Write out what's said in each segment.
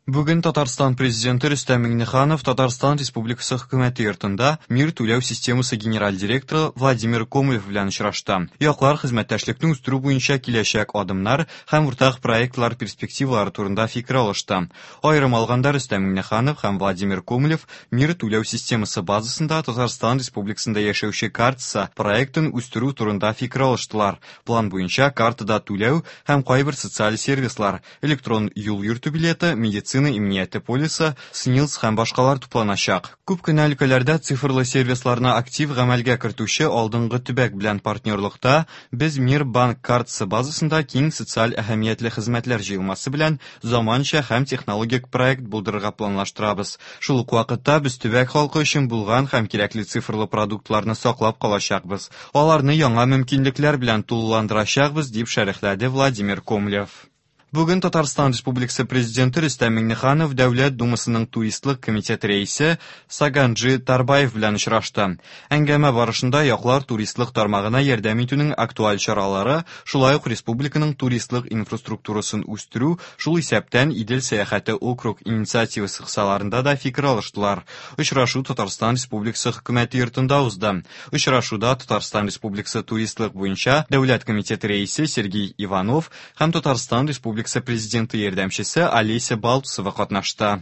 Бүген Татарстан Президенты Рөстәм Миңнеханов Татарстан Республикасы Хөкүмәте йортында Мир түләү системасы генераль директоры Владимир Комлев белән очрашты. Яклар хезмәттәшлекне үстерү буенча киләчәк адымнар һәм уртак проектлар перспективалары турында фикер алышты. Аерым алганда, Рөстәм Миңнеханов һәм Владимир Комлев Мир түләү системасы базасында Татарстан Республикасында яшәүче картасы проектын үстерү турында фикер алыштылар. План буенча картада түләү һәм кайбер социаль сервислар, электрон юл йөртү билеты, медицина иминияте полисы, СНИЛС һәм башкалар тупланачак. Күп кенә өлкәләрдә цифрлы сервисларны актив гамәлгә кертүче алдынгы төбәк белән партнерлыкта без Мир банк картасы базасында киң социаль әһәмиятле хезмәтләр җыелмасы белән заманча һәм технологик проект булдырырга планлаштырабыз. Шул ук вакытта без төбәк халкы өчен булган һәм кирәкле цифрлы продуктларны саклап калачакбыз, аларны яңа мөмкинлекләр белән тулыландырачакбыз, дип шәрехләде Владимир Комлев. Бүген Татарстан Республикасы Президенты Рөстәм Миңнеханов Дәүләт Думасының туристлык комитеты рәисе Саганджи Тарбаев белән очрашты. Әңгәмә барышында яклар туристлык тармагына ярдәм итүнең актуаль чаралары, шулай ук республиканың туристлык инфраструктурасын үстерү, шул исәптән Идел сәяхәте округ инициативасы кысаларында да фикер алыштылар. Очрашу Татарстан Республикасы Хөкүмәте йортында узды. Очрашуда Татарстан Республикасы туристлык буенча Дәүләт комитеты рәисе Сергей Иванов һәм Татарстан Республикасы Президенты ярдәмчесе Олеся Балтусова катнашты.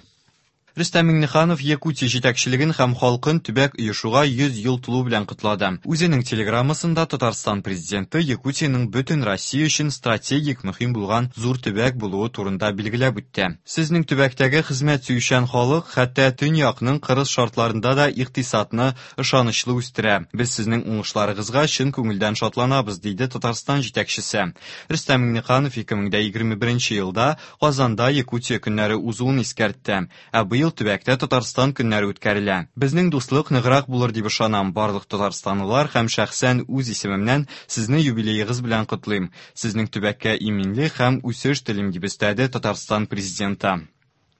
Рөстәм Миңнеханов Якутия җитәкчелеген һәм халкын төбәк оешуга 100 ел тулу белән котлады. Үзенең телеграммасында Татарстан Президенты Якутиянең бөтен Россия өчен стратегик мөһим булган зур төбәк булуы турында билгеләп үтте. Сезнең төбәктәге хезмәт сөючән халык хәтта төньякның кырыс шартларында да икътисадны ышанычлы үстерә. Без сезнең уңышларыгызга чын күңелдән шатланабыз, диде Татарстан җитәкчесе. Рөстәм Миңнеханов 2021 елда Казанда Якутия көннәре узуын искәртте. Ә быел төбәктә Татарстан көннәре үткәрелә. Безнең дуслык ныграк булыр дип ышанам. Барлык татарстанлылар һәм шәхсән үз исемемнән сезне юбилеегыз белән котлыйм. Сезнең төбәккә иминлек һәм үсеш телим, дип өстәде Татарстан Президенты.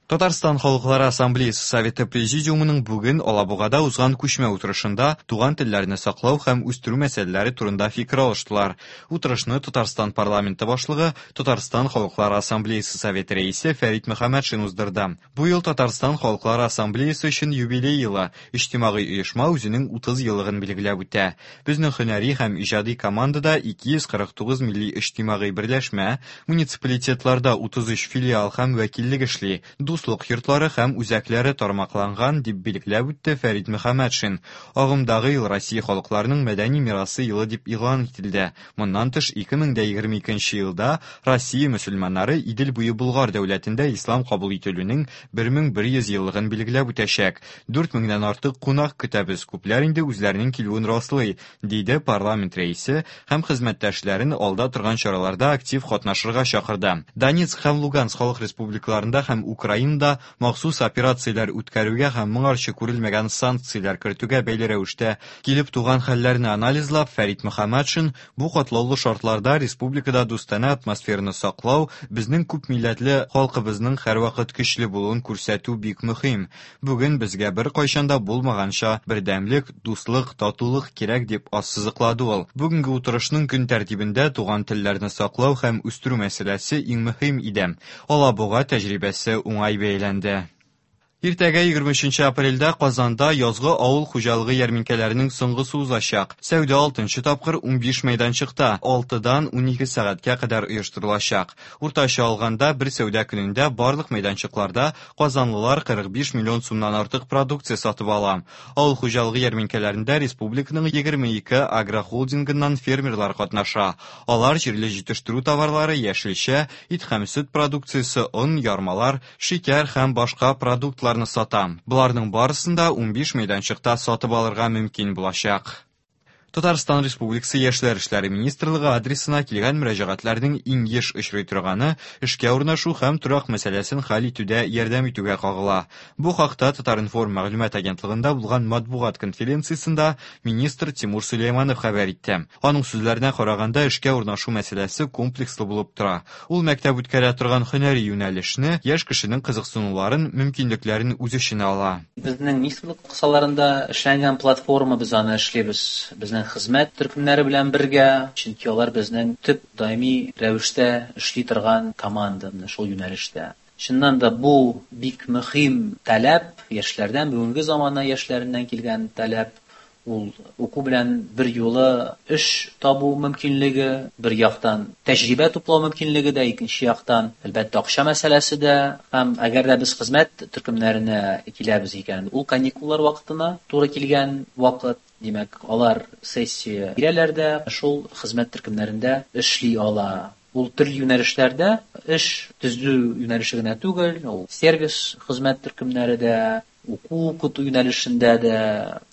Татарстан Халыклары Ассамблеясы Советы Президиумының бүген Алабугада узган күчмә утырышында туган телләрне саклау һәм үстерү мәсьәләләре турында фикер алыштылар. Утырышны Татарстан парламенты башлыгы, Татарстан Халыклары Ассамблеясы Советы рәисе Фәрит Мөхәммәтшин уздырды. Бу ел Татарстан Халыклары Ассамблеясы өчен юбилей елы, иҗтимагый оешма үзенең 30 еллыгын билгеләп үтә. Безнең һөнәри һәм иҗади командада 249 милли иҗтимагый берләшмә, муниципалитетларда 33 филиал һәм вәкиллек эшли, дуслык йортлары һәм үзәкләре тармакланган, дип билгеләп үтте Фәрит Мөхәммәтшин. Агымдагы ел Россия халыкларының мәдәни мирасы елы дип игълан ителде. Моннан тыш, 2022 елда Россия мөселманнары Идел буе Болгар дәүләтендә ислам кабул ителүнең 1100 еллыгын билгеләп үтәчәк. Дүрт меңнән артык кунак көтәбез, күпләр инде үзләренең килүен раслый, диде парламент рәисе һәм хезмәттәшләрен алда торган чараларда актив катнашырга чакырды. Донецк һәм Луганск халык республикаларында һәм Украинада махсус операцияләр үткәрүгә һәм моңарчы күрелмәгән санкцияләр кертүгә бәйле рәвештә килеп туган хәлләрне анализлап, Фәрит Мөхәммәтшин бу катлаулы шартларда республикада дустанә атмосфераны саклау, безнең күпмилләтле халкыбызның һәрвакыт көчле булуын күрсәтү бик мөһим. Бүген безгә беркайчан да булмаганча бердәмлек, дуслык, татулык кирәк, дип ассызыклады ул. Бүгенге утырышның көн тәртибендә туган телләрне саклау һәм үстерү мәсьәләсе иң мөһим иде. Алабуга тәҗрибәсе уңай бәяләнде. Иртәгә 23 апрельдә Казанда язгы авыл хуҗалыгы ярминкәләренең соңгысы узачак. Сәүдә алтынчы тапкыр 15 мәйданчыкта 6-дан 12 сәгатькә кадәр оештырылачак. Уртача алганда, бер сәүдә көнендә барлык мәйданчыкларда казанлылар 45 миллион сумнан артык продукция сатып ала. Авыл хуҗалыгы ярминкәләрендә республиканың 22 агрохолдингыннан фермерлар катнаша. Алар җирле җитештерү товарлары, яшелчә, ит һәм сөт продукциясе, он, ярмалар, шикәр һәм башка продуктларны сата. Боларның барысын да 15 мәйданчыкта сатып алырга мөмкин булачак. Татарстан Республикасы Яшьләр эшләре министрлыгы адресына килгән мөрәҗәгатьләрнең иң еш очрый торганы эшкә урнашу һәм торак мәсьәләсен хәл итүдә ярдәм итүгә кагыла. Бу хакта Татар-информ мәгълүмат агентлыгында булган матбугат конференциясендә министр Тимур Сөләйманов хәбәр итте. Аның сүзләренә караганда, эшкә урнашу мәсьәләсе комплекслы булып тора. Ул мәктәп үткәрә торган һөнәри юнәлешне, яшь кешенең кызыксынуларын, мөмкинлекләрен үз эченә ала. Безнең министрлык кысаларында эшләнгән платформа, без аны эшлибез безнең хезмәт төркемнәре белән бергә, чөнки алар безнең төп даими рәвештә эшли торган команда менә шул юнәлештә. Чыннан да бу Бик мөһим таләп, яшьләрдән, бүгенге замана яшьләреннән килгән таләп, ул уку белән бер юлы эш табу мөмкинлеге, бер яктан тәҗрибә туплау мөмкинлеге дә, икенче яктан, әлбәттә, акча мәсьәләсе дә. Һәм әгәр дә без хезмәт төркемнәренә киләбез икән, ул каникуллар вакытына туры килгән вакыт, димәк, алар сессия бирәләр дә, шул хезмәт төркемнәрендә эшли ала. Ул төрле юнәлешләрдә эш төзү юнәлеше генә түгел, ул сервис хезмәт төркемнәре дә, уку укыту юнәлешендә дә,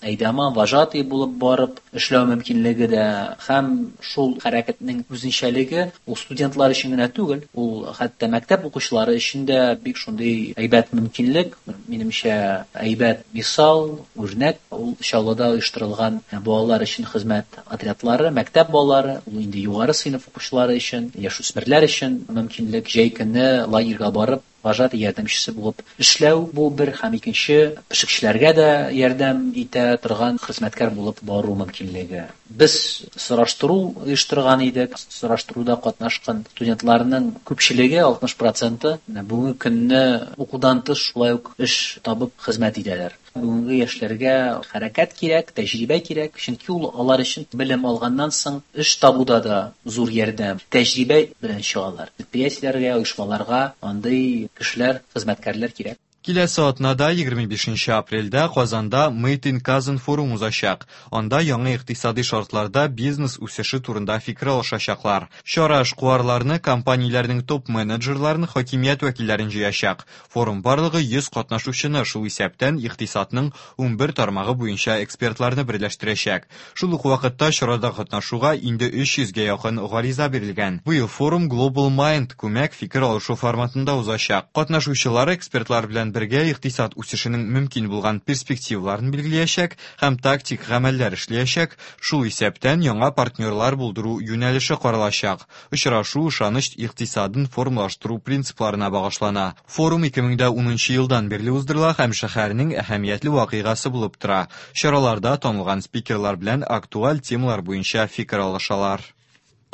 әйдаман, вожатый булып барып эшләү мөмкинлеге дә, һәм шул хәрәкәтнең үзенчәлеге ул студентлар өчен генә түгел, ул хәтта мәктәп укучылары өчен дә бик шундый әйбәт мөмкинлек, минемчә, әйбәт мисал, үрнәк. Ул Чаллыда оештырылган балалар өчен хезмәт отрядлары, мәктәп балалары, ул инде югары сыйныф укучылары өчен, яшүсмерләр өчен мөмкинлек җәй көне лагерьга барып, вожатый ярдәмчесе булып эшләү, бу бер, һәм икенче пешекчеләргә дә ярдәм итә торган хезмәткәр булып бару мөмкинлеге. Без сораштыру оештырган идек. Сораштыруда катнашкан студентларның күпчелеге, 60 проценты, бүгенге көнне укудан тыш шулай ук эш табып хезмәт итәләр. Бүгенге яшьләргә хәрәкәт кирәк, тәҗрибә кирәк, чөнки ул алар өчен белем алганнан соң эш табуда да зур ярдәм, тәҗрибә белән чыгалар. Предприятиеләргә, оешмаларга андый кешеләр, хезмәткәрләр кирәк. Киләсе атнада, 25 апрельдә, Казанда Made in Kazan форум узачак. Анда яңа икътисади шартларда бизнес үсеше турында фикер алышачаклар. Чара эшкуарларны, компанияләрнең топ-менеджерларын, хакимият вәкилләрен җыячак. Форум барлыгы 100 катнашучыны, шул исәптән икътисадның 11 тармагы буенча экспертларны берләштерәчәк. Шул ук вакытта чарада катнашуга инде 300гә якын гариза бирелгән. Быел форум Global Mind күмәк фикер алышу форматында узачак. Катнашучылар экспертлар белән бергә икътисад үсешенең мөмкин булган перспективаларын билгеләячәк һәм тактик гамәлләр эшләячәк, шул исәптән яңа партнерлар булдыру юнәлеше каралачак. Очрашу ышаныч икътисадын формалаштыру принципларына багышлана. Форум 2010 елдан бирле уздырыла һәм шәһәрнең әһәмиятле вакыйгасы булып тора. Чараларда танылган спикерлар белән актуаль темалар буенча фикер алышалар.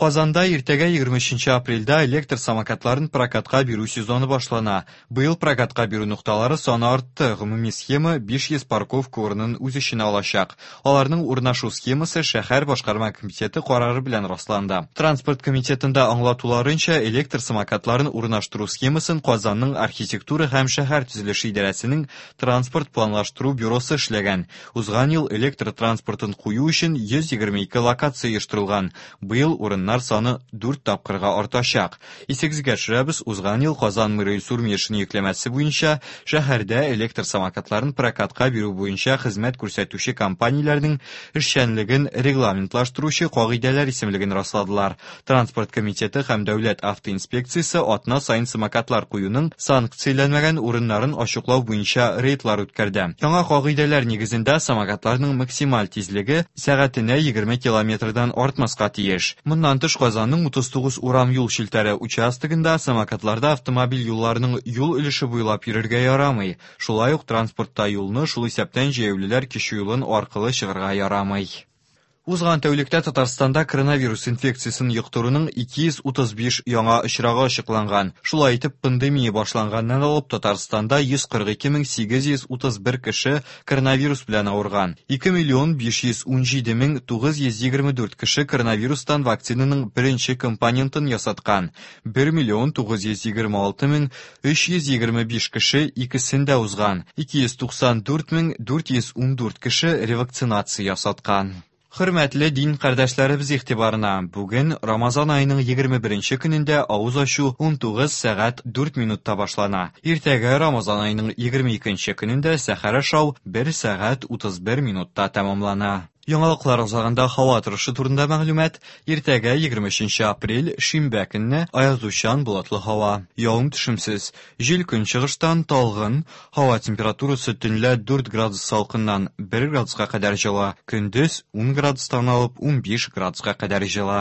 Казанда иртәгә 23 апрельдә электр самокатларын прокатка бирү сезоны башлана. Быел прокатка бирү нокталары саны артты. Гомуми схема 500 парковка урынын үз эченә алачак. Аларның урнашу схемасы шәһәр башкарма комитеты карары белән расланды. Транспорт комитетында аңлатуларынча, электр самокатларын урнаштыру схемасын Казанның архитектура һәм шәһәр төзелеше идарәсенең транспорт планлаштыру бюросы эшләгән. Узган ел электр транспортын кую өчен 122 локация оештырылган. Быел урыннар саны 4 тапкырга артачак. Исегезгә төшерәбез, узган ел Казан мэры Илсур Метшин йөкләмәсе буенча шәһәрдә электр самокатларын прокатка бирү буенча хезмәт күрсәтүче компанияләрнең эшчәнлеген регламентлаштыручы кагыйдәләр исемлеген расладылар. Транспорт комитеты һәм дәүләт автоинспекциясе атна саен самокатлар куюның санкцияләнмәгән урыннарын ачыклау буенча рейдлар үткәрде. Яңа кагыйдәләр нигезендә самокатларның максималь тизлеге сәгатенә 20 километрдан артмаска тиеш. Моннан тыш Казанның 39 урам юл челтәре участогында самокатларда автомобиль юлларының юл өлеше буйлап йөрергә ярамый. Шулай ук транспортта юлны, шул исәптән җәяүлеләр кичү юлын аркылы чыгарга ярамый. Узган тәүлектә Татарстанда коронавирус инфекциясен йоктыруның 235 яңа очрагы ачыкланган. Шулай итеп, пандемия башланганнан алып Татарстанда 142 831 кеше коронавирус белән авырган. 2 миллион 517 мең 924 кеше коронавирустан вакцинаның беренче компонентын ясаткан. 1 миллион 926 мең 325 кеше икесен дә узган. 294 мең 414 кеше ревакцинация ясаткан. Хөрмәтле дин кардәшләребез игътибарына, бүген Рамазан аеның 21 көнендә авыз ачу 19 сәгать 4 минутта башлана. Иртәгә Рамазан аеның 22 көнендә сәхәр ашау 1 сәгать 31 минутта тәмамлана. Яңалыклар азагында һава торышы турында мәгълүмат. Иртәгә 23 апрель шимбә көнне аязучан болытлы һава. Явым төшемсез. Җил көнчыгыштан талгын. Һава температурасы төнлә 4 градус салкыннан 1 градуска кадәр җылы. Көндез 10 градустан алып 15 градуска кадәр җылы.